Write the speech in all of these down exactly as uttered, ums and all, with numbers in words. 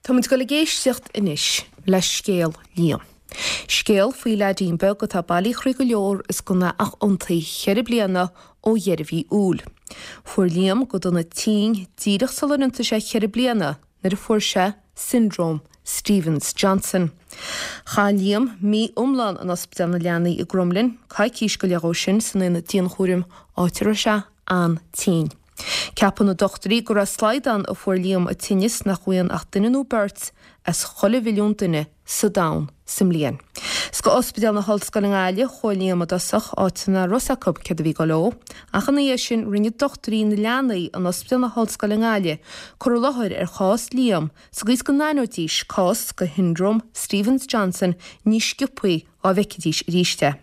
Tá muid ag dul ag éisteacht anois le scéal Liam. Scéal faoi leaidín beag atá bailí croí go leor is gan é ach iontaí cheithre bliana ó dheireadh mhí Iúil. Fuair Liam go dona tinn díreach sular iontaigh sé ceithre bliana nuair a fuair sé Syndrome Stevens Johnson. Chaith Liam mí iomlán in Ospidéal na Leanaí i gCromghlinn, coicís go leith ó sin san aonad dianchúraim áit a raibh sé an-tinn. Ceapann na dochtúirí go raibh slaghdán a fuair Liam an tinneas nach bhfaigheann ach duine nó beirt as chuile mhilliún duine sa domhan sa mbliain. 'S go Ospidéal na hOllscoile i nGaillimh chuaigh Liam i dtosach áit nach raibh fhios acu céard a bhí ag dul dó, ach ina dhiaidh sin rinne dochtúirí na leanaí in Ospidéal na hOllscoile i nGaillimh cur i láthair ar chás Liam sa gcaoi is go n-aithneoidís cás de Syndrome Stevens Johnson níos sciobthaí dá bhfeicfidís arís é.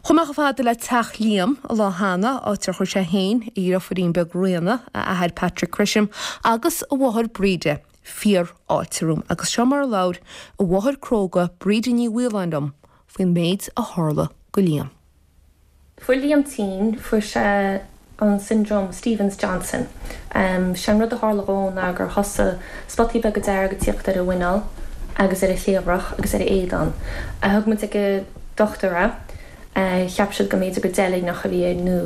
Chuaigh mé chomh fada le teach Liam an lá cheana, áit ar chuir sé féin, a dheirfiúirín beag Ríona, a athair Patrick Gresham agus a mháthair Bríde, fíorfháilte romham agus seo mar a labhair a mháthair cróga Bríde Ní Mhaoláin liom faoin méid a tharla go Liam. Fuair Liam tinn, fuair sé an syndrome Stevens Johnson. Um, sé an rud a tharla dhó ná gur thosaigh spotaí beaga dearga ag tíocht ar a mhuineál agus ar a chliabhrach agus ar a éadan. A thug muid ag an dochtúir é, uh, cheap siad go mb'fhéidir gur deilgneach a bhí air nó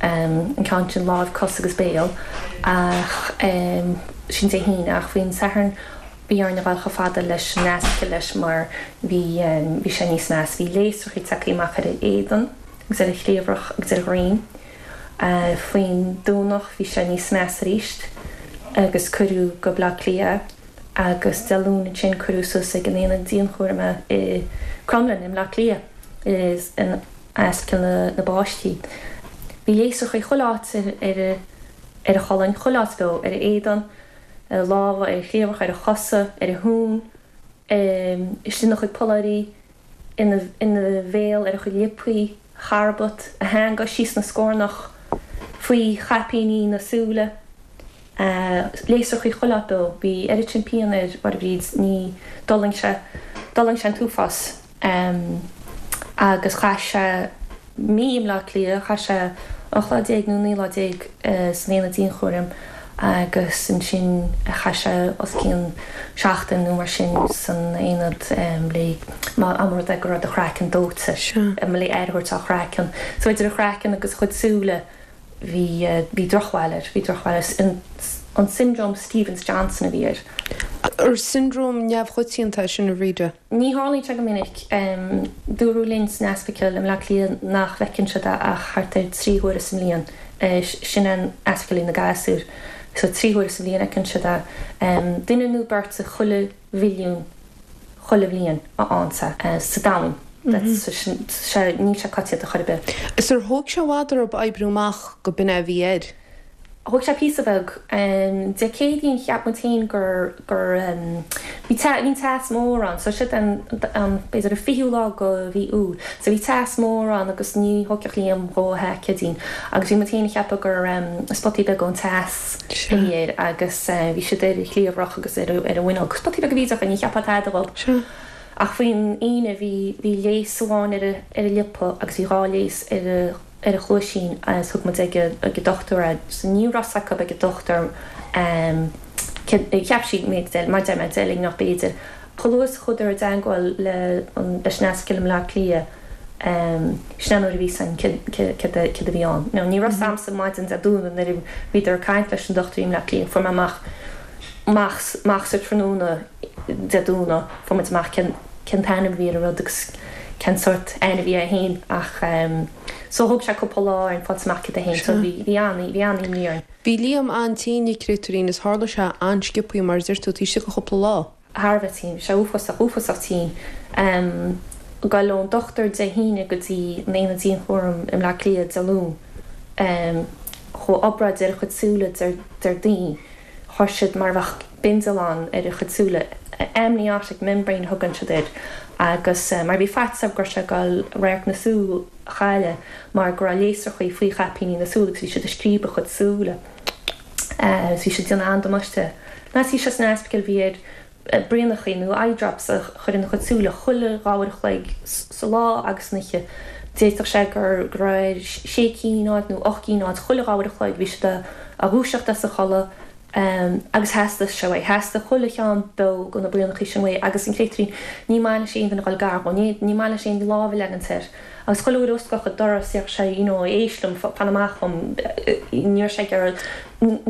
um, an ceann sin lámh cos agus béal ach um, sin Dé hAoine ach faoin Satharn bhí orainn a ghabháil chomh fada leis an ospidéal leis mar bhí um, bhí sé níos measa bhí léasrachaí tagtha amach ar a éadan agus ar a chliabhrach agus ar a dhroim. Uh, faoin Domhnach bhí sé níos measa arís agus cuireadh go Baile Átha Cliath agus Dé Luain ansin cuireadh suas ag an aonad dianchúraim i Cromghlinn i mBaile Átha Cliath is in ospidéal na, na bpáistí. Bhí léasrachaí chuile áit ar ar ar a cholainn chuile áit beo ar a éadan, ar a lámha, ar a chliabhrach, ar a chosa, ar a thóin, um, istigh ina chuid polláirí, ina, ina bhéal ar a chuid liopaí, charbad, a theanga síos na scornach, faoi chaipíní na súile. Uh, léasrachaí chuile áit beo, bhí oiread sin pian air mar a bhí ní d'fhulaing sé d'fhulaing sé an t-uafás. Um, agus chaith sé mí i mBaile Átha Cliath, chaith sé ocht lá déag nó naoi lá déag uh, san aonad dianchúraim agus ansin chaith sé os cionn seachtain nó mar sin san aonad um, le má amrud go raibh a chraiceann dóite le aer a thabhairt dá chraiceann. So idir a chraiceann agus chuid súile bhí uh, bhí drochbhail air, bhí drochbhail air. An syndrome Stevens Johnson a bhí air. Ar syndrome neamhchoitianta sin a Bhríde? Ní tharlaíonn sé go minic um, dúradh linn san ospidéal i mBaile Átha Cliath nach bhfeiceann siad ach thart ar trí huaire sa mbliain uh, sin an ospidéal na gasúr. So trí huaire sa bhliain fheiceann siad é. Um, duine nó beirt sa chuile mhilliún chuile bhliain a ansa uh, sa domhan. sé níl sé coitianta chor ar bith. Is ar thóg sé i bhfad oraibh oibriú amach go b'in é a bhí air. Thóg sé píosa beag Dé Céadaoin cheap muid féin gur gur bhí bhí teas mór ann, so sin an an b'fhéidir an fichiú lá de mhí Iúil. So bhí teas mór ann agus ní thógfadh Liam dhó a Céadaoin. Agus bhí muid féin ag ceapadh gur um, spotaí beag ón teas a bhí air agus uh, bhí siad ar a chliabhrach agus ar ar a mhuineál. Spotaí beag a bhí ach ní cheapfá tada dhóibh. Ach faoin Aoine bhí bhí léas amháin ar a ar a liopa agus bhí dhá léas ar a ar a chluaisín agus thug muid ag ag an dochtúir é. So ní raibh fhios acu ag an dochtúir um, cheap siad méid mar deir mé deilgneach b'fhéidir. Chomh luath is a chuadar i dteagmháil le leis an ospidéal i mBaile Átha Cliath um, sin nuair a bhí san céard a bhí ann. No, ní raibh fhios a'msa maidin Dé Domhnaigh nuair a bhíodar ag caint leis an dochtúir i mBaile Átha Cliath fuair mé amach amach amach sa tráthnóna Dé Domhnaigh fuair muid amach cén cén t-ainm a bhí ar an rud agus cén sórt ainm a bhí air féin ach um, so thóg sé cúpla lá ar an fáil amach céard é féin so bhí bhí an bhí an-imní orainn. Bhí Liam an-tinn a chréatúirín is tharla sé an-sciobtha mar deir tú taobh istigh de chúpla lá. Thar a bheith tinn, sé uafásach uafásach tinn. Um, Gabháil ón dochtúir Dé hAoine go dtí an aonad dianchúraim i mBaile Átha Cliath Dé Luain. Um, chuaigh obráid ar a chuid súile Déardaoin chuir siad mar bheadh bindealán ar a chuid súile amniotic membrane thugann siad air agus uh, mar bhí faitíos go raibh sé ag gabháil radharc na súl a chailleadh mar go raibh léasrachaí faoi chaipíní na súl agus bhí siad ag scríobadh a chuid súile. Uh, bhí siad déanamh an-damáiste. Ná bhí sé san ospidéal bhí air braonachaí nó eye drops a chur ina chuid súile chuile dhá uair a chloig sa lá agus san oíche. D'fhéadfadh sé gur go raibh sé cinn nó ocht gcinn chuile dhá uair a chloig bhí siad á dhúiseacht as a chodladh Um, agus theastaigh sé uaidh, theastaigh chuile cheann beo de na braonachaí sin uaidh agus an créatúirín ní maith leis aon duine a dhul gar dhó, ní, ní maith leis aon lámh a leagaint air. Agus chuile uair a osclódh an doras bheadh sé, you know, éist liom, fan amach dhom, ní raibh sé ag iarraidh,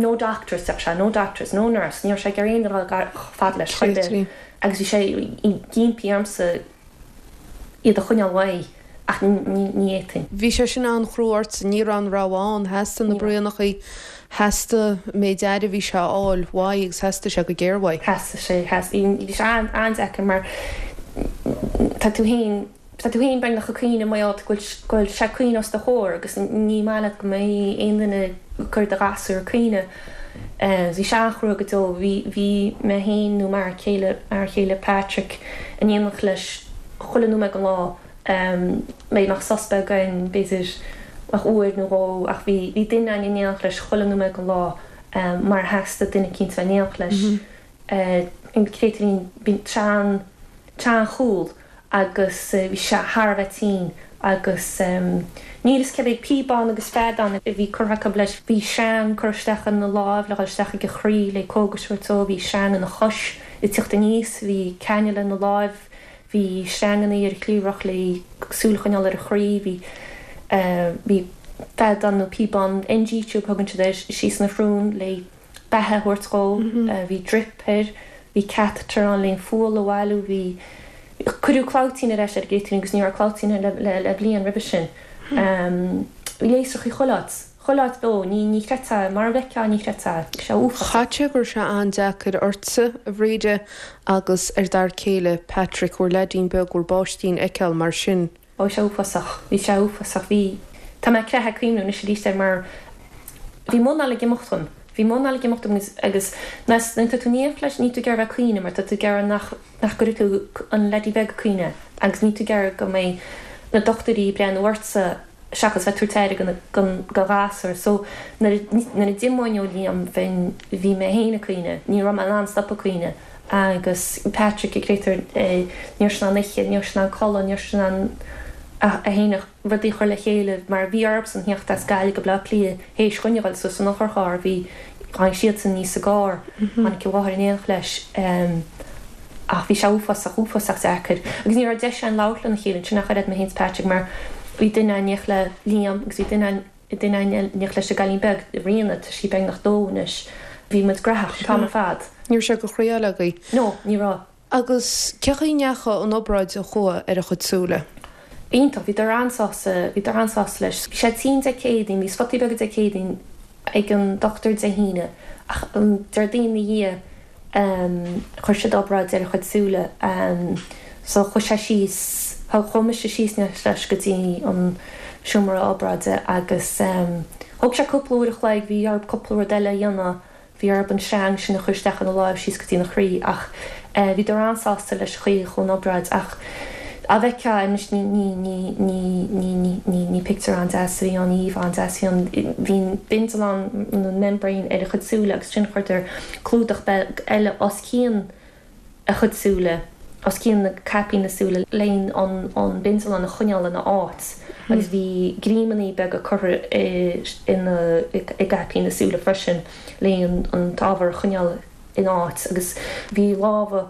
no doctors, bheadh sé, no doctors, no nurse, ní raibh sé ag iarraidh aon duine a dhol gar chomh fada leis, chor ar bith. Agus bhí sé ag impí ormsa iad a choinneáil uaidh. Ach ní fhéadfainn. Bhí sé sin an-chrua ortsa, ní raibh aon rogha ann, theastaigh na braonachaí, theastaigh an méid aire a bhí sé a fháil uaidh agus theastaigh sé go géar uaidh. Theastaigh sé, theastaigh. Bhí sé an-deacair mar tá tú féin, tá tú féin beagnach ag caoineadh mar gheall go bhfuil sé ag caoineadh os do chomhair agus ní maith leat go mbeidh aon duine ag cur do ghasúr ag caoineadh. Bhí sé an-chrua go deo. Bhí, bhí mé féin nó m'fhear céile, m'fhear chéile Patrick in éineacht leis chuile nóiméad den lá. B'fhéidir nach sos beag againn, b'fhéidir ach uair nó dhó, ach bhí bhí duine againn in éineacht leis chuile nóiméad den lá mar theastaigh duine eicínt bheith in éineacht leis. An créatúirín, bhí sé an, sé an-chúl agus bhí sé thar a bheith tinn agus níl fhios cé mhéad píobán agus feadán a bhí curtha acu leis. Bhí sreang curtha isteach ina láimh le dhul isteach ag a chroí le cógais a thabhairt dó, bhí sreang ina chois ag teacht aníos, bhí cannula ina láimh, Bhí sreanganna ar a chliabhrach le súil a choinneáil ar a chroí, bhí bhí feadán nó píobán, NG tube thugann siad air, síos ina shrón le beatha a thabhairt dhó, bhí drip air, bhí catheter ann le an fual a bhailiú, bhí cuireadh clabhtaín ar ais ar an gcréatúirín agus ní raibh clabhtaín air le le bliain roimhe sin. Bhí léasrachaí chuile áit. Chuile áit beo, ní, ní chreidfeá, mar a bhfeicfeá, ní chreidfeá. Bhí sé uafásach. Chaithfeadh sé go raibh sé an-deacair ortsa, a Bhríde, agus ar d'fhear céile, Patrick, bhur leaidín beag, bhur bpáistín a fheiceáil mar sin. Ó, bhí sé uafásach. Bhí sé uafásach. Bhí, tá mé ag creathadh ag cuimhniú anois arís air mar bhí m'anáil ag imeacht dhom. Bhí m'anáil ag imeacht dom agus, agus nuair atá tú in éineacht leis, níl tú ag iarraidh bheith ag caoineadh mar tá tú ag iarraidh nach, nach gcuirfidh tú an leaidí beag ag caoineadh agus níl tú ag iarraidh go mbeidh na dochtúirí ag breathnú ortsa seachas bheith tabhairt aire don ghasúr. So nuair a d'imeoinn ó Liam bheinn, bhí mé féin ag caoineadh, ní raibh mé in ann stop ag caoineadh agus Patrick an créatúr, ní raibh sé in ann ithe, ní raibh sé in ann codladh, ní raibh sé in ann é féin rudaí a chur le chéile mar bhí orthusan theacht as Gaillimh go Baile Átha Cliath théis dhúinn a dhul suas san otharcharr, bhí, tháinig siadsan aníos sa gcarr, tháinig a mháthair in éineacht leis. Ach bhí sé uafásach, uafásach deacair. Agus ní raibh deis againn labhairt lena chéile ansin ach oiread, mé féin is Patrick, mar bhí duine in éineacht le Liam agus bhí duine duine in éineacht leis an gcailín beag, Ríona, tá sí beagnach dó anois. Bhí muid graitheach an t-am ar fad. Ní raibh sé de chroí eile agaibh. No, ní raibh. Agus cé chaoi a ndeachaigh an obráid a chuaigh ar a chuid súile? Iontach, bhíodar an-sásta, bhíodar an-sásta leis. Bhí sé tinn Dé Céadaoin, bhí spotaí beaga Dé Céadaoin ag an dochtúir Dé hAoine ach an Déardaoin ina dhiaidh, Chuir siad obráid ar a chuid súile so chuaigh sé síos, chuaigh mise síos leis go dtí an seomra obráide agus thóg sé cúpla uair a chloig, bhí orthu cúpla rud eile a dhéanamh, bhí orthu an sreang sin a chur isteach ina láimh síos go dtína chroí ach bhíodar an-sásta leis an chaoi a chuaigh an obráid ach á bhfeicfeá anois ní ní ní ní ní ní ní ní pictiúr an-deas a bhí ann, ní íomhá an-deas a bhí ann. Bhí an bindealán nó an membrane ar a chuid súile agus ansin chuireadar clúdach beag eile os cionn a chuid súile, os cionn na caipín na súile le an an bindealán a choinneáil ina áit agus bhí greamannaí beaga curtha i ina i gcaipín na súile freisin le an an t-ábhar a choinneáil ina áit agus bhí lámha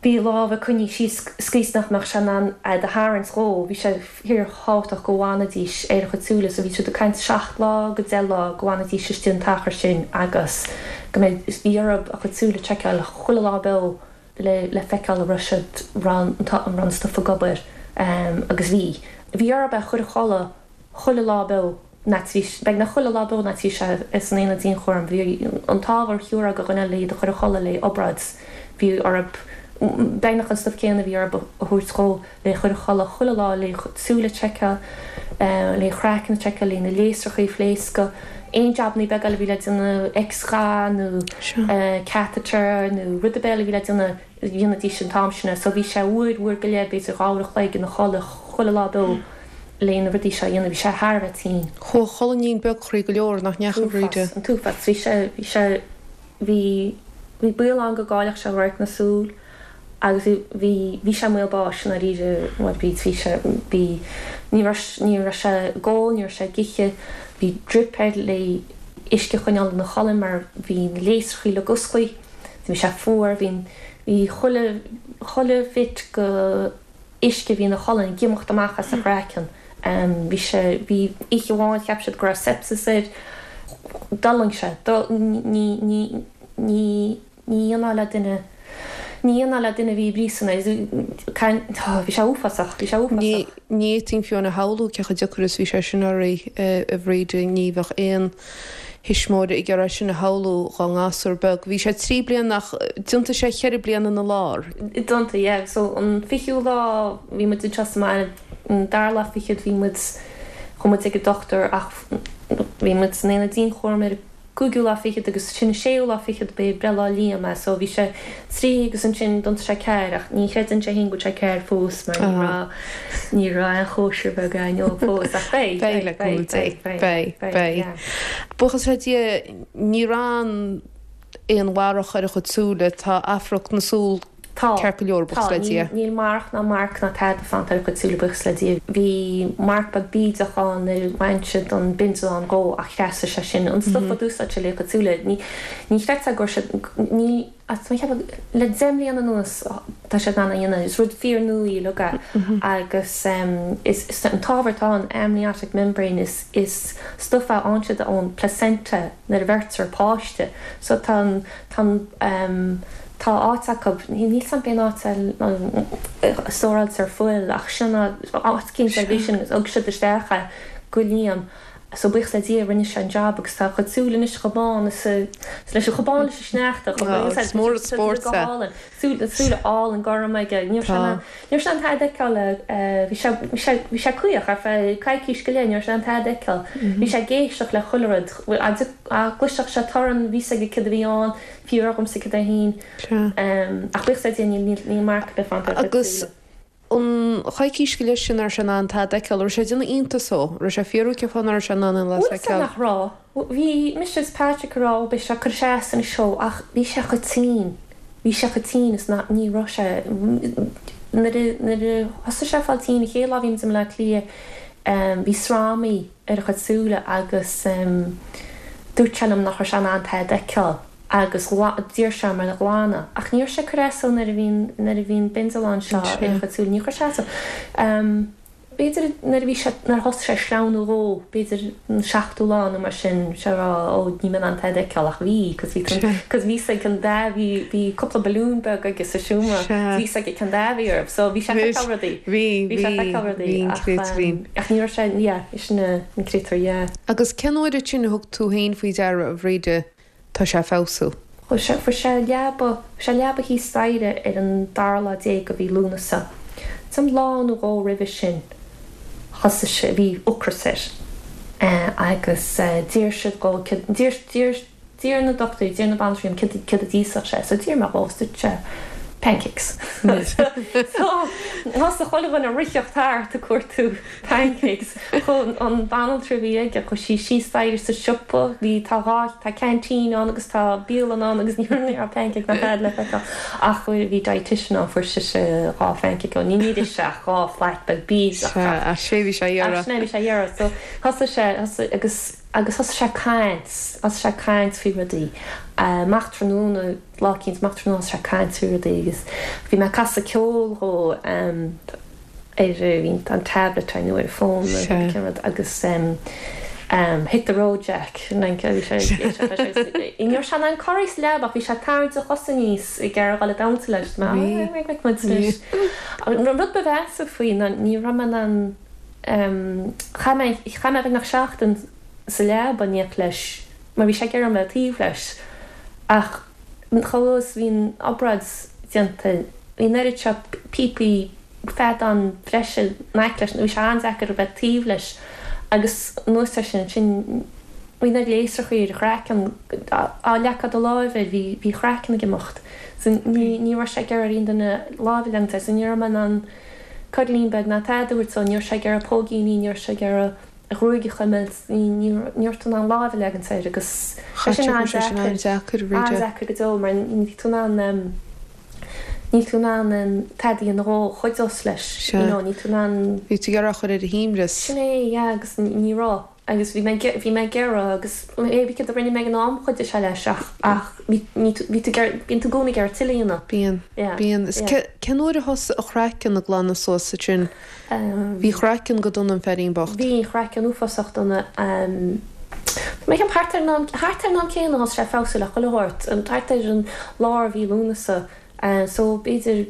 Bhí a lámha coinnithe síos sa chaoi is nach mbeadh sé in ann iad a tharraingt dhó. Bhí sé fíorthábhachtach go bhfanfaidís ar a chuid súile so bhí siad ag caint seacht lá go deich lá go bhfanfaidís istigh an t-achar sin agus go mbeidh, bhí orthu a chuid súile a tseiceáil chuile lá beo le le feiceáil an raibh siad, an raibh an stuif ag obair agus bhí. Bhí orthu é a chur a chodladh chuile lá beo. Beagnach chuile lá beo nuair a bhí sé san aonad dianchúraim. Bhí an t-ábhar shiúr go dhuine le iad a chur a chodladh le obráid. Bhí orthu beagnach an stuif céanna a bhí orthu a thabhairt dhó le chur a chodladh chuile lá le súile a tseiceáil, le craiceann a tseiceáil, le na léasrachaí a phléascadh, aon jabannaí beaga eile a bhí le déanamh, X-gha nó catheter nó rud ar bith eile a bhí le déanamh. dhéanaidís an t-am sin é. So bhí sé uair, uair go leith, b'fhéidir dhá uair a chloig ina chodladh chuile lá beo le na rudaí seo a dhéanamh. Bhí sé thar a bheith tinn. Chuaigh a cholainnín beag croí go leor, nach ndeachaigh, a Bhríde? An t-uafás, an t-uafás. Bhí sé, bhí sé, bhí, bhí baol ann go gcaillfeadh sé radharc na súl agus bhí, bhí, bhí sé i mbaol báis i ndáiríre, a Bhríd. Bhí sé, bhí, ní raibh, ní raibh sé ag ól, ní raibh sé ag ithe, bhí drip air le, uisce a choinneáil ina cholainn mar bhí na léasrachaí uilig osclaithe, bhí sé fuar, bhí bhí chuile chuile bhit go uisce a bhí ina cholainn ag imeacht amach as a chraiceann. Bhí sé bhí oíche amháin cheap siad go raibh sepsis air, d'fhulaing sé, ní ní ní ní dhéanfá le duine Ní dhéanfá le duine a bhí i bpríosún é. Bhí sé uafásach, bhí sé uafásach. Ní fhéadfainn fiú amháin a shamhlú cé chomh deacair is bhí sé sin oraibh, a Bhríd, ní bheadh aon thuismitheoir ag iarraidh sin a shamhlú dhá ngasúr beag. Bhí sé trí bliana ach d'iontaigh sé cheithre bliana ina lár. D'iontaigh, yeah. So an fichiú lá bhí muid anseo sa mbaile, an dara lá fichead bhí muid, chuaigh muid ag an dochtúir ach bhí muid san aonad dianchúraim ar an cúigiú lá fichead agus sin an séú lá fichead b'é breithlá Liam é so bhí sé trí agus ansin d'iontaigh sé ceathair ach ní chreideann sé féin go bhfuil sé ceathair fós mar ní raibh ní raibh aon chóisir bheag againn dó fós ach beidh Beidh le cúnamh Dé beidh beidh yeah. Buíochas le Dia níor fhan aon mharach ar a chuid súile tá amharc na súl Tá. Ceart go leor, Tá. buíochas le Dia. Níl marach ná marc ná tada fanta ar a chuid súile, buíochas le Dia. Bhí marc beag bídeach ann nuair a bhain siad an bindealán dhó ach thrasnaigh sé sin. An stuif a d'úsáid siad le chuid súile, ní ní chreidfeá go raibh siad, ní, tá mé ag ceapadh le deich mbliana anuas tá siad in ann a dhéanamh. Is rud fíor-nua í uilig é agus is is an t-ábhar atá ann, amniotic membrane, is is stuif é a fhaigheann siad ón placenta nuair a bheirtear páiste. So tá an tá an Tá áit acu, níl 'fhios a'm cén áit a stóráiltear fuil ach sin áit eicínt ar bith sin thug siad isteach é go Liam so buíochas le Dia rinne sé an job agus tá a chuid súl anois chomh bán is a leis chomh bán leis an sneachta chomh Oh, is mór an spórt go é. hálainn súil súile álainn gorm aige ní raibh sé Tá. ní raibh sé in ann tada a fheiceáil bhí sé bhí sé bhí sé caoch ar feadh coicís go leith ní raibh sé in ann tada a fheiceáil bhí sé ag éisteacht le chuile rud dá gcloisfeadh sé torann bhí 'fhios aige céard a bhí ann Fiú agamsa cad é féin. Ach buíochas le Dia níl níl marc ar bith fanta ar a chuid Agus súile. an choicís go leith sin nach raibh sé in ann tada a fheiceáil, raibh sé ag déanamh iontais dhó, raibh sé ag fiafraí cén fáth nach raibh sé in ann aon Bhfuil las a 'fhios a'm fheiceáil. nach raibh. Bhí mise is Patrick ag rá ó beidh sé ag cur as anois dó ach bhí sé chomh tinn, bhí sé chomh tinn is ná ní raibh sé nuair a nuair a thosaigh sé ag fáil tinn an chéad lá a bhí muid i mBleá Cliath bhí sramaí ar a chuid súile agus dúirt sé liom nach raibh sé in ann tada a fheiceáil agus d'iarr sé orm iad a ghlanadh. Ach ní raibh sé ag cur as dó nuair a bhí nuair a bhí an bindealán seo ar a chuid súile. Níor chuir sé as dó. B'fhéidir nuair a bhí sé, nuair a thosaigh sé ag sleamhnú dhó, b'fhéidir an seachtú lá nó mar sin, sé ag rá ó níl mé in ann tada a fheiceáil ach bhí, cos bhí cos bhí 'fhios aige cén dath, bhí bhí cúpla balún beag aige sa seomra, bhí 'fhios aige cén dath a bhí orthu. So bhí sé ag feiceáil rudaí. Bhí, Bhí sé ag bhí, feiceáil rudaí bhí an ach créatúirín. ach ní raibh sé, yeah, sin an créatúr, yeah. Agus cén uair ansin a thug tú féin faoi deara, a Bhríde, tá sé ag feabhsú? Chuaigh sé, fuair sé leaba, fuair sé leaba thíos staighre ar an dara lá déag de mhí Lúnasa. Ansan lá nó dhó roimhe sin thosaigh sé, bhí ocras air agus d'iarr siad dhó, d'iarr, d'iarr, d'iarr na dochtúirí, d'iarr na banaltraí orm céard, céard a d'íosfadh sé. So d'iarr mé dhó agus dúirt sé pancakes. So thosaigh chuile dhuine ag ritheacht thart ag cuartú pancakes. Chuaigh an banaltra a bhí aige, chuaigh sí síos staighre sa siopa, bhí, tá dhá, tá ceaintín ann agus tá bialann ann agus ní raibh pancake ná tada le feiceáil. Ach bhí dietitian ann, fuair sise dhá phancake ó, ní níor ith sé ach dhá phlait beag bídeach Sea, ach sé bhí sé a ach iarraidh. sin é bhí sé a iarraidh. So thosaigh sé, thosaigh agus, agus thosaigh sé ag caint, thosaigh sé ag caint faoi rudaí. Amach tráthnóna, lá eicínt, amach tráthnóna thosaigh sé ag caint faoi rudaí agus bhí mé ag casadh ceoil dhó ar bhí an tablet ar nó ar an bhfón nó cén rud agus Hit the Road Jack like bhí sé ag éisteacht leis agus ní raibh sé in ann corraí sa leaba ach bhí sé ag tarraingt a chosa aníos ag iarraidh dul ag damhsa leis. Mé ah muid anois. An rud ba mheasa faoi ná ní raibh mé in ann chaith mé chaith mé beagnach seachtain sa leaba in éineacht leis mar bhí sé ag iarraidh mé taobh leis ach chomh luath is a bhí an obráid déanta bhí an oiread seo píopaí feadán breise in aice leis bhí sé an-deacair a bheith taobh leis agus anuas air sin ansin bhí na léasrachaí ar a chraiceann dá leagfá do láimh air bhí bhí a chraiceann ag imeacht so ní ní raibh sé ag iarraidh ar aon duine lámh a leagan air so ní raibh mé in ann cuirlín beag ná tada a thabhairt dó ní raibh sé ag iarraidh póigíní ní raibh sé ag iarraidh a ghruaig a chuimilt, ní raibh tú in ann lámh a leagaint air agus tá sin an-deacair, an-deacair go deo mar níl tú in ann, níl tú in ann tada a dhéanamh dhó, chuideos leis, you know, níl tú in ann. Bhí tú ag iarraidh a chur ar a shuaimhneas. Sin é, yeah, agus ní raibh. Agus bhí mé bhí mé ag iarraidh agus bhí cad a rinne mé ag an am chuidigh sé leis ach ach bhí bhí tú bhí bíonn tú i gcónaí ag iarraidh tuilleadh a dhéanamh. Bíonn. Bíonn. Is cén uair a thosaigh a chraiceann ag glanadh suas ansin? Bhí a chraiceann go dona an feairín bocht. Bhí a chraiceann uafásach dona. Tá mé ag ceapadh thart ar an am thart ar an am céanna a thosaigh sé ag feabhsú le chuile shórt, thart ar an lár mhí Lúnasa. So b'fhéidir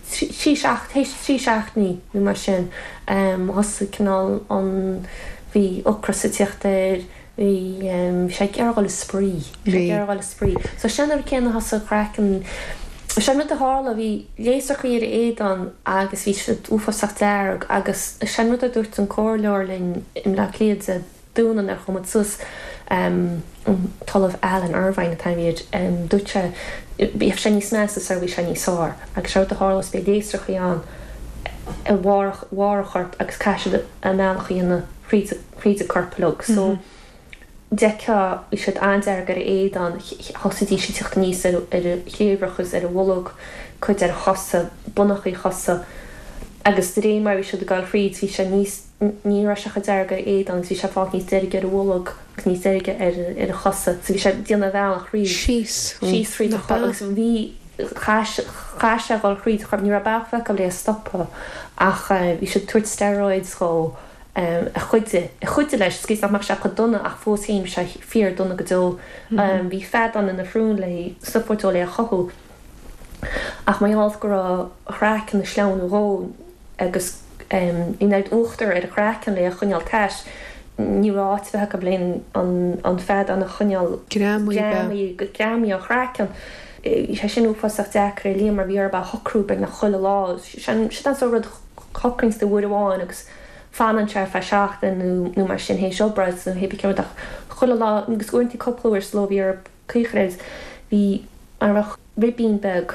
trí seacht théis trí seachtainí nó mar sin thosaigh cineál an bhí ocras ag tíocht air, bhí bhí sé ag iarraidh dhul ag spraoi, bhí sé ag iarraidh dhul ag spraoi. So sin an rud céanna thosaigh a chraiceann, sin an rud a tharla, bhí léasrachaí ar a éadan agus bhí siad uafásach dearg agus sin an rud a dúirt an comhairleoir linn i mBleá Cliath Dé Domhnaigh nuair a chuaigh muid suas an tOllamh Alan Irvine atá air, dúirt sé bheadh sé níos measa sar bhí sé níos fearr agus sé rud a tharlós beidh léasrachaí ann i bharr bharr a choirp agus caithfidh siad a mbealach a dhéanamh thríd thríd an corp uilig so d'fheicfeá bhí siad an-dearg ar a éadan thosaídís ag teacht aníos ar ar a chliabhrach agus ar a bholg cuid ar a chosa bonnachaí a chosa agus de réir mar bhí siad ag dul thríd bhí sé níos ní raibh sé chomh dearg ar a éadan agus bhí sé ag fáil níos deirge ar a bholg agus níos deirge ar ar a chosa so bhí sé ag déanamh a bhealach thríd Síos síos thríd a nach chorp ea? agus bhí chaith chaith sé a dhul thríd a chorp ní raibh bealach acu le é a stopadh ach bhí siad ag tabhairt steroids dhó a chuidigh a chuidigh leis is nach mbeadh sé chomh dona ach fós féin bhí sé fíor dona go deo. Bhí feadán ina shrón le stuif a thabhairt dó le é a chothú ach mar gheall go raibh a chraiceann ag sleamhnú dhó agus bhí an oiread uachtar ar a chraiceann le é a choinneáil tais ní raibh áit ar bith acu le an an feadán a choinneáil Greamaithe. greamaithe ó chraiceann. Bhí sé sin uafásach deacair ar Liam mar bhí orthu a shocrú beagnach chuile lá. Sin sin an sórt rud shocraíonn tú uair amháin agus fanann sé ar feadh seachtain nó nó mar sin théis obráid nó hé céard ach chuile lá agus uaireanta cúpla uair sa ló bhí orthu caochraid bhí mar bheadh ribín beag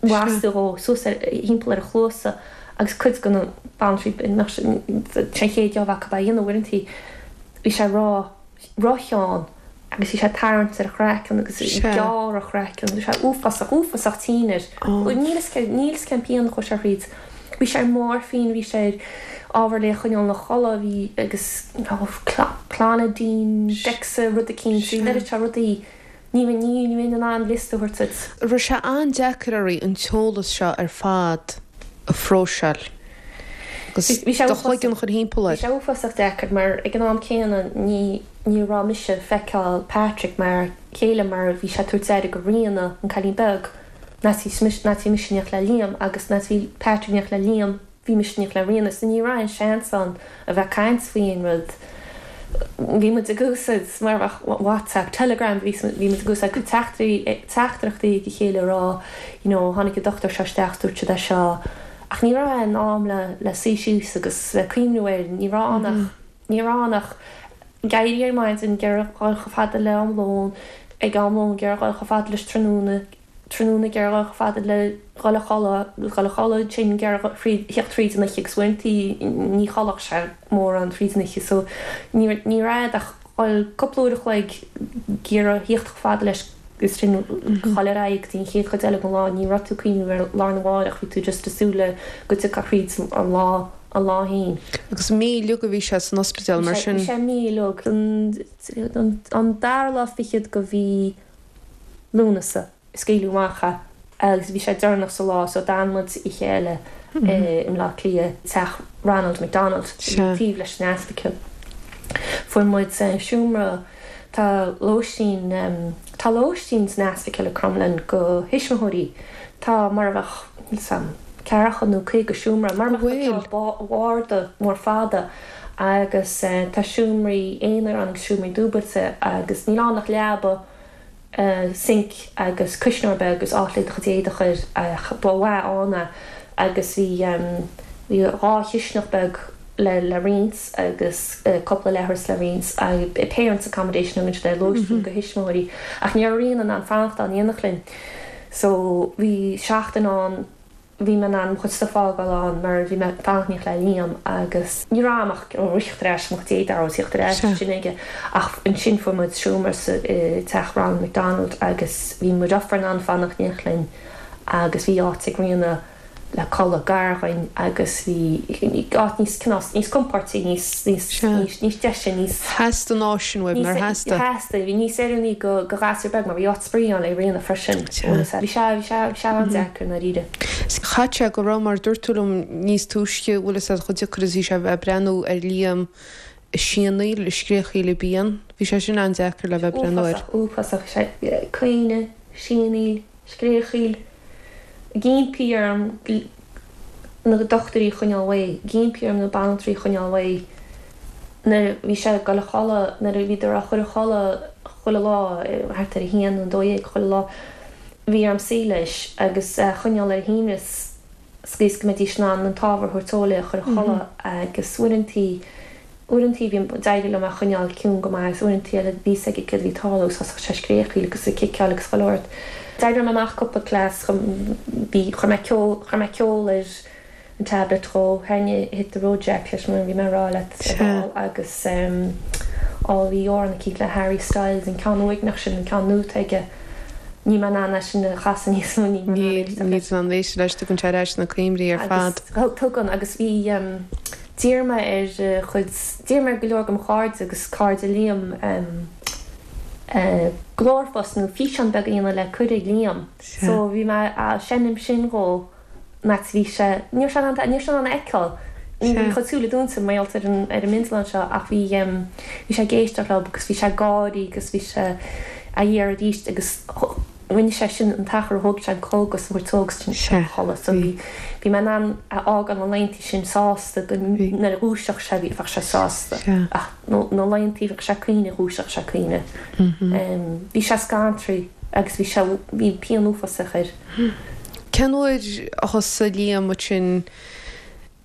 lasta dhó suas ar thimpeall ar a chluasa agus cuid de na banaltraí nach sé an chéad jab acu a dhéanamh uaireanta bhí sé ró rótheann agus bhí sé ag tarraingt ar a chraiceann agus ag gearradh a chraiceann bhí sé uafásach uafásach tinn air. Níl fhios níl fhios cén pian a chuaigh sé thríd. Bhí sé ar morphine, bhí sé ar ábhar le choinneáil ina chodladh, bhí agus clonidine, Dexa, rud eicínt, bhí an oiread seo rudaí, ní bheinn ní bheinn in ann liosta a thabhairt duit. Raibh sé an-deacair oraibh an t-eolas seo ar fad a phróiseáil agus Bhí sé do uafásach chloigeann a chur thimpeall bhí air? sé uafásach deacair mar ag an am céanna ní ní raibh mise ag feiceáil Patrick mar chéile mar bhí sé ag tabhairt aire do Ríona, an cailín beag. Nuair a bhí mise in éineacht le Liam agus nuair a bhí Patrick in éineacht le Liam bhí mise in éineacht le Ríona so ní raibh aon seans ann a bheith ag caint faoi aon rud. Bhí muid ag úsáid mar bheadh WhatsApp, Telegram bhí bhí muid ag úsáid teachtaireachtaí ag a chéile a rá you know tháinig an dochtúir seo isteach dúirt siad é seo ach ní raibh aon am le le suí síos agus le cuimhniú air ní raibh ann ach ní raibh ann ach ag éirí ar maidin ag iarraidh dhul chomh fada le am lóin ag am lóin ag iarraidh dhul chomh fada leis tráthnóna tráthnóna ag iarraidh dhul chomh fada le dhul a chodladh dhul a chodladh ansin ag iarraidh theacht fríd an oíche agus uaireanta ní chodlódh sé mórán fríd an oíche so ní ní raibh ach dhul cúpla uair a chloig ag iarraidh theacht chomh fada leis agus sin dhul ar aghaidh go dtí an chéad chuid eile den lá ní raibh tú ag cuimhniú ar lá arna mháireach bhí tú just ag súil le go dtiocfá fríd an lá an lá féin. Agus mí uilig a bhí sé san ospidéal mar sin? Bhí sé mí uilig. An an dara lá fichead de mhí Lúnasa a scaoileadh amach é agus bhí sé deireanach sa lá so d'fhan muid oíche eile i mBleá Cliath, teach Ronald McDonald a bhí taobh leis an ospidéal. Fuair muid seomra, tá lóistín, tá lóistín san ospidéal i Crumlin do thuismitheoirí, tá mar a bheadh, níl 's a'm, ceathracha nó caoga seomra, mar a bheadh barda mór fada agus tá seomraí aonair ann agus seomraí dúbailte agus níl ann ach leaba, sinc agus cuisneoir beag agus áit le do chuid éadaí a chur ach ba mhaith ann é agus bhí bhí dhá chisteanach beag le le roinnt agus cúpla leithreas le roinnt agus parents accommodation a thugann siad air, lóistín do thuismitheoirí ach ní raibh Ríona in ann fanacht ann in éineacht linn so bhí seachtain ann bhí mé in ann mo chuid stuif a fhágáil ann mar bhí mé ag fanacht in éineacht le Liam agus ní raibh am ach rith ar ais mo chuid éadaí a theacht ar ais sin aige ach ansin fuair muid seomra sa i teach Ronald McDonald agus bhí mo dheirfiúr in ann fanacht in éineacht linn agus bhí áit ag Ríona le codladh gar dhúinn agus bhí áit níos cineál níos compordaí níos níos níos níos deise níos Theastaigh an áit sin uaibh nár theastaigh? Theastaigh, bhí níos oiriúnaí go go ghasúr beag mar bhí áit spraoi ann le Ríona freisin. Bhí sé bhí sé bhí sé an-deacair i ndáiríre. Chaith sé go raibh mar dúirt tú liom níos túisce bhfuil fhios a'd chomh deacair is bhí sé a bheith ag breathnú ar Liam ag sianaíl, ag scréachaíl i bpian. Bhí sé sin an-deacair le bheith ag breathnú air. Uafásach, uafásach. Sé caoineadh, sianaíl, scréachaíl. Ag impí orm na dochtúirí a choinneáil uaidh, ag impí orm na banaltraí a choinneáil uaidh nuair a bhí sé ag dul a chodladh, nuair a bhíodar á chur a chodladh chuile lá, thart ar a haon nó a dó dhéag chuile lá, bhí orm suí leis agus é a choinneáil ar a shuaimhneas sa gcaoi is go mbeidís in ann an t-ábhar a thabhairt dó le a chur a chodladh agus uaireantaí Uaireantaí bhí, d'éirigh liom é a choinneáil ciúin go maith agus uaireantaí eile bhí fhios aige céard a bhí ag tarlú agus thosaigh sé ag scréachaíl agus ag ciceáil agus chuile shórt. D'oibrigh mé amach cúpla cleas, bhí, chuir mé ceol, chuir mé ceol ar an tablet dhó, sheinneadh Hit the Road Jack leis mar a bhí mé ag rá leat ar ball agus á bhí amhrán eicínt le Harry Styles, an ceann uaigneach sin, an ceann nua atá aige, níl mé in ann é sin a chasadh níos mó, níl mé in ann éisteacht leis. Níl tú in ann éisteacht leis, tugann sé ar ais na cuimhní ar fad. Agus tugann agus bhí. D'iarr mé ar chuid, d'iarr mé ar go leor de mo chairde agus cairde Liam glórphost nó físeán beag a dhéanamh le cur ag Liam. So bhí mé á seinm sin dhó an áit a bhí sé, ní raibh sé in ann, ní raibh sé in ann a fheiceáil, ní raibh a chuid súile dúnta mar gheall ar an, ar an mbindealán seo ach bhí, bhí sé ag éisteacht leo agus bhí sé ag gáirí agus bhí sé á iarraidh arís agus Rinne sé sin an t-achar a thóg sé an cógas a thabhairt dó agus ansin a chodladh. So bhí bhí mé in ann a fhágáil na laethanta sin sásta go nuair a dhúiseodh sé bhí bheadh sé sásta. Ach na laethanta bheadh sé ag caoineadh dhúiseodh sé ag caoineadh. Bhí sé scantraithe agus bhí sé bhí pian uafásach air. Cén uair a thosaigh Liam ansin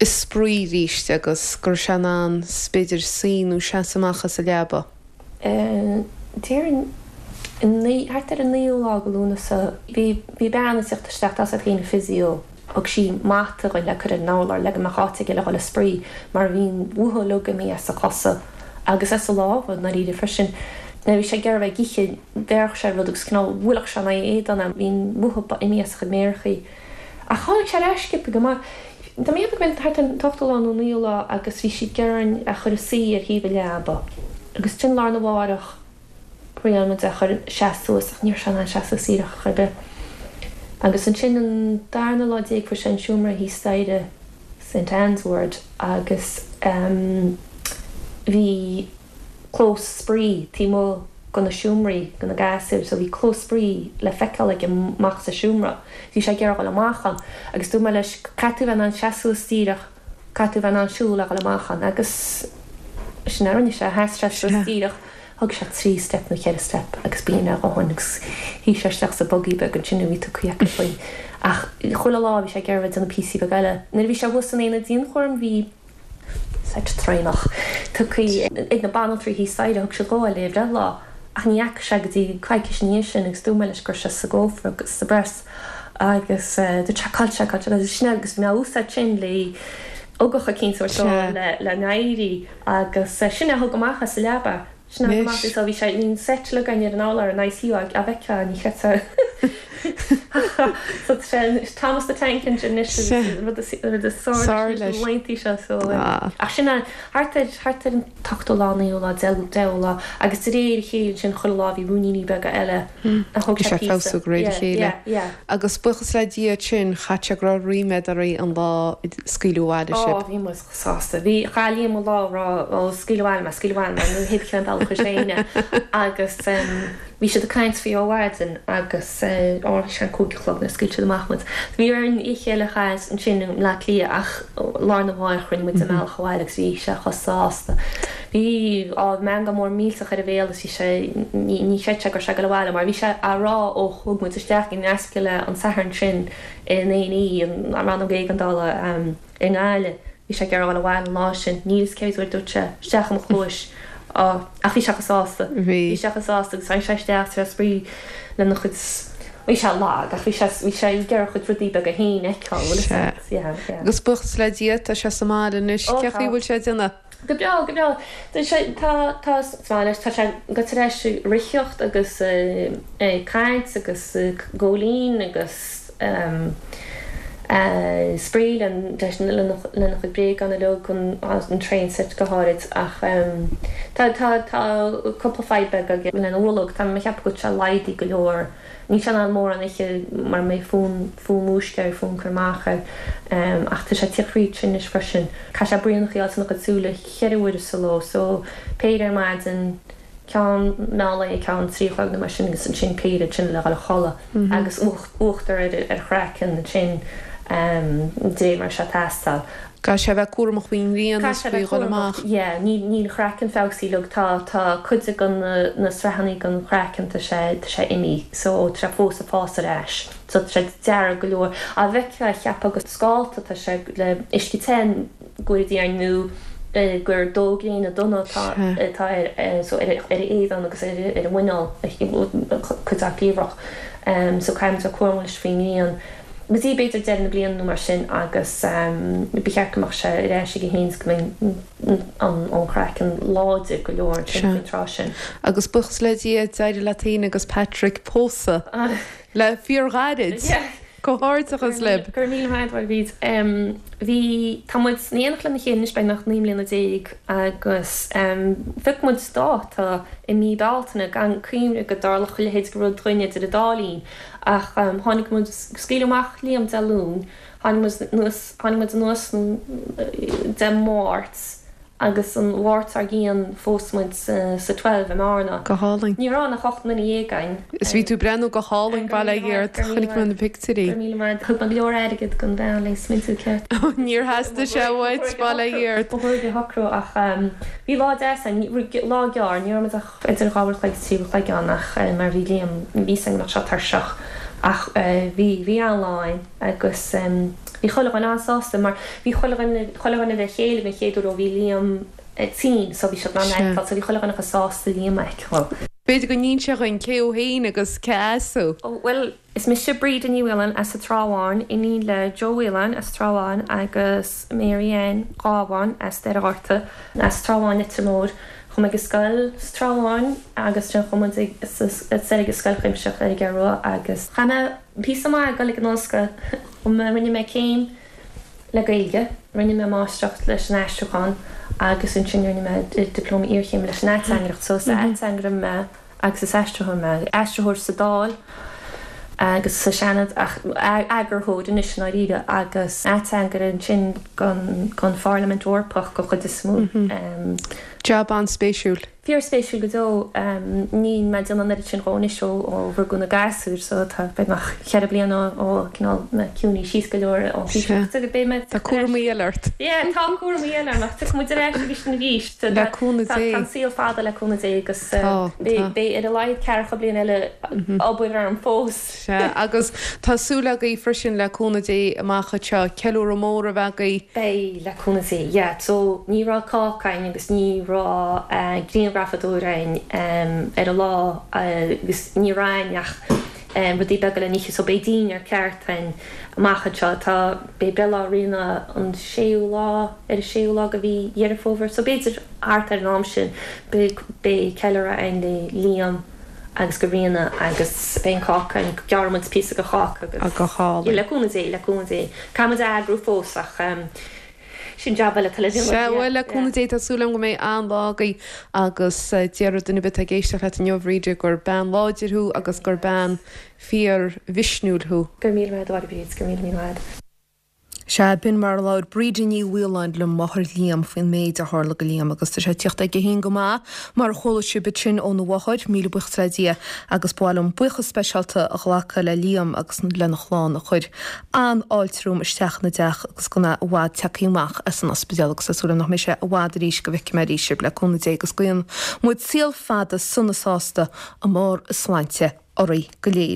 ag spraoi arís agus go raibh sé in ann b'fhéidir suí nó seasamh amach as an leaba? Déarfainn thart ar an naoú lá de Lúnasa, bhí bhí bean ag teacht isteach, tá a fhios agat féin, an physio, thug sí mata dhúinn le cur ar an urlár le go mbeadh áit aige le dhul ag spraoi mar bhí an mhothú uilig imithe as a chosa agus as a lámha i ndáiríre freisin. Nuair a bhí sé ag iarraidh a bheith ag ithe, bhéarfadh sé rud agus cineál bhuailfeadh sé in aghaidh a éadain é, bhí an mhothú imithe as a chuid méarachaí. Ach tháinig sé ar ais sciobtha go maith. Tá mé ag ceapadh go mb'in thart ar an t-ochtú lá nó naoú lá agus bhí siad ag iarraidh é a chur a suí ar thaobh an leaba agus sin lá arna mhárach thriail muid é a chur seasamh suas ach ní raibh sé in ann seasamh díreach ar chor ar bith. Agus ansin an darna lá déag fuair sé an seomra thíos staighre Saint Anne's Ward agus bhí clós spraoi taobh amuigh de na seomraí do na gasúir so bhí clós spraoi le feiceáil aige amach as an seomra. Bhí sé ag iarraidh a dhul amach ann agus dúirt mé leis caithfidh tú bheith in ann seasamh suas díreach, caithfidh tú bheith in ann siúl le dhul amach ann agus sin a rinne sé, sheas sé suas díreach, thóg sé trí step nó ceithre step agus b'in é a dhóthain agus shuigh sé isteach sa buggy beag ansin a bhí tugtha acu faoi. Ach chuile lá bhí sé ag iarraidh a bheith ag déanamh píosaí beaga eile. Nuair a bhí sé thuas san aonad dianchúraim bhí. seit traenach tugtha ag na banaltraí thíos staighre, thug siad dhó é le breithlá ach ní fhaca sé go dtí coicís ina dhiaidh sin agus dúirt mé leis go raibh sé sa gcófra agus sa bpress agus dúirt sé cá bhfuil sé, cá bhfuil sé agus sin é agus bhí mé á úsáid sin le ugach eicínt a thabhairt dó le le n-éirí agus sin é a thug amach as an leaba. Sin é go maith so bhí sé bhí an seit uilig againn ar an urlár in ICU á bhfeicfeá ní chreidfeá so tá sé Thomas the Tank Engine anois agus rud is rud is sár leis na laethanta seo so ach sin é thart ar thart ar an t-ochtú lá naoú lá deichiú lá agus de réir a chéile ansin chuile lá bhí ruainníní beaga eile a thóg Bhí sé sé ag píosa feabhsú de réir a yeah chéile. yeah yeah. Agus buíochas le Dia ansin chaith sé go raibh ríméad oraibh an lá a scaoileadh abhaile Ó sibh. bhí muid sásta. Bhí chaith Liam an lá ag rá ó scaoil abhaile mé, scaoil abhaile mé, nó pé cén bealach chuir sé éinne. Agus bhí siad ag caint faoi ó mhaidin agus ó bhí sé an cúig a chlog nuair a scaoil siad amach muid. Bhí orainn oíche eile a chaitheamh ansin i mBleá Cliath ach lá arna mhárach rinne muid an bealach abhaile agus bhí sé chomh sásta. Bhí á meangadh mór millteach ar a bhéal agus bhí sé ní ní chreid sé go raibh sé ag dul abhaile mar bhí sé á rá ó thug muid isteach in Ascaill an Satharn sin in A and E, an rannóg éigeandála. I nGaillimh. Bhí sé ag iarraidh a dhul abhaile an lá sin. Níl fhios cé mhéad uair a dúirt sé isteach i mo chluais Á, ach bhí sé chomh sásta. Bhí. Bhí sé chomh sásta agus tháinig sé isteach tar éis spraoi lena chuid, bhí sé lag ach bhí sé, bhí sé ag iarraidh a chuid rudaí beaga féin a fheiceáil, bhfuil fhios Sea. agat. Yeah, yeah. Agus buíochas le Dia, tá sé sa mbaile anois. Ó Cé tá. chaoi a bhfuil sé ag déanamh? Go breá, go breá. Tá sé, tá, tá, sa mbaile anois, tá sé go tar éis ritheacht agus ag caint agus ag góilín agus. Spraoi lena lena chuid bréagán uilig an an train set go háirid ach tá tá tá cúpla fadhb beag aige lena bholg tá mé ag ceapadh go bhfuil sé laghdaithe go leor. Níl sé in ann mórán a ithe mar mbeidh fonn fonn uisce air fonn cur amach air ach tá sé ag tíocht fríd sin anois freisin. Caithfidh sé braon a fháil ina chuid súile ceithre huaire sa ló so péire ar maidin, ceann meán lae ceann trí a chlog nó mar sin agus ansin péire ansin le dhul a chodladh agus uachtar ar ar a chraiceann ansin de réir mar atá sé ag teastáil. Caithfidh sé a bheith cúramach faoin ngrian is faoi dhul amach. Yeah, níl níl a chraiceann feabhsaithe uilig tá tá cuid de na na sraitheanna den chraiceann tá sé tá sé imithe so tá sé fós ag fás ar ais so tá sé dearg go leor. Á bhfeicfeá cheapfá gur scálta atá sé le uisce te go dtí ar nó gur dó gréine donna atá atá ar so ar ar a éadan agus ar ar a mhuineál cuid dá chliabhrach. So caithfidh muid a bheith cúramach leis faoin ngrian. Go dtí b'fhéidir deireadh na bliana nó mar sin agus ba cheart go mbeadh sé ar ais aige féin go mbeidh an an craiceann láidir go leor ansin faoin tráth sin. Agus buíochas le Dia d'éirigh leat féin agus Patrick pósadh le fíorghairid. Comhghairdeachas libh. Go raibh míle maith agat Bríd. Bhí, tá muid in éineacht lena chéile anois beagnach naoi mbliana déag agus phioc muid dáta i mí Bealtaine gan cuimhne go dtarlódh a leithéid de rud dúinn idir an dá linn ach tháinig muid, scaoileadh amach Liam Dé Luain, tháinig muid anuas, tháinig muid anuas Dé Máirt agus an Mháirt dár gcionn phós muid sa Twelve i mBearna. Go hálainn. Ní raibh ach ocht nduine dhéag againn. Is bhí tú ag breathnú go hálainn, bail ó Dhia ort, chonaic mé na pictiúirí. Go raibh míle maith. Thug mé go leor airgid don bhean le smidiú ceart. Níor theastaigh sé uait, bail ó Dhia ort. Ba chóir a shocrú ach bhí lá deas ann, lá gearr, ní raibh muid ach idir dhá uair a chloig is trí uair a chloig ann ach mar bhí Liam, bhí fhios againn go mbeadh sé tuirseach ach bhí, bhí an-lá ann agus bhí chuile dhuine an-sásta mar bhí chuile dhuine, chuile dhuine le chéile den chéad uair ó bhí Liam tinn so bhí siad in ann a fheiceáil so bhí chuile dhuine chomh sásta Liam a fheiceáil. B'fhéidir go n-inseofá dhúinn cé thú féin agus cé as thú? Bhuel, is mise Bríde Ní Mhaoláin as an Trá Bháin, iníon le Joe Whelan as Trá Bháin agus Mary Ann Gábháin as Doire Ghorta, as Trá Bháin, Leitir Móir. Chuaigh mé ag scoil sa Trá Bháin agus ansin chuaigh muid ag soir ag an Scoil Chuimsitheach ar an gCeathrú Rua agus chaith mé píosa maith ag dul ag an ollscoil. Rinne mé céim le Gaeilge, rinne mé máistreacht leis an aistriúchán agus ansin rinne mé dioplóma iarchéime leis an ateangaireacht. So is ateangaire mé agus is aistritheoir mé. Aistritheoir sa Dáil agus sa Seanad ach eagarthóir anois i ndáiríre agus ateangaire ansin don Pharlaimint Eorpach den chuid is mó. Jab an-spéisiúil. Fíorspéisiúil go deo. Níl mé ag déanamh an oiread sin dhó anois ó rugadh na gasúir so tá beagnach ceithre bliana ó cineál mé ciúnaithe síos go leor ón taoiseach. Beidh mé. Tá cúramaí eile ort. Yeah, tá cúramaí eile orm ach tiocfaidh muid ar ais arís arís. Le cúnamh Dé. Tá an saol fada le cúnamh Dé agus beidh ar a laghad ceathracha bliain eile obair orm fós. Sea, agus tá súil agaibh freisin le cúnamh Dé amach anseo ceiliúradh mór a bheith agaibh. Beidh, le cúnamh Dé, yeah. So ní raibh cáca againn agus ní raibh grianghrafadóir againn ar an lá agus ní raibh againn ach rudaí beaga le n-ithe so beidh dinnéar ceart againn amach anseo. Tá, beidh breithlá Ríona an séú lá, ar an séú lá de mhí Dheireadh Fómhair so b'fhéidir thart ar an am sin beidh, beidh ceiliúradh againn le Liam agus go Ríona agus beidh an cáca againn, gearrfaidh muid píosa de cháca agus. Go hálainn. Le cúnamh Dé, le cúnamh Dé. Caithfidh muid a eagrú fós ach sin jab eile atá le déanamh. Sea, bhuel, le cúnamh Dé tá súil agam go mbeidh an-lá agaibh agus déarfadh duine ar bith atá ag éisteacht leat inniu, a Bhríde, gur bean láidir thú agus gur bean fíor-mhisniúil thú. Go raibh míle maith agat, a Bhríd, go raibh míle míle maith agat. Sea, b'in mar a labhair Bríde Ní Mhaoláin le máthair Liam faoin méid a tharla go Liam agus tá sé ag tíocht aige féin go maith, mar a chuala sibh ansin óna mháthair, míle buíochas le Dia agus ba mhaith liom buíochas speisialta a ghlacadh le Liam agus lena chlann a chuir an-fháilte romham isteach ina dteach agus gan é i bhfad tagtha amach as an ospidéal agus tá súil agam nach mbeidh sé i bhfad arís go bhfeicfidh mé arís sibh le cúnamh Dé agus guíonn muid saol fada sona sásta i mbarr a sláinte oraibh go léir.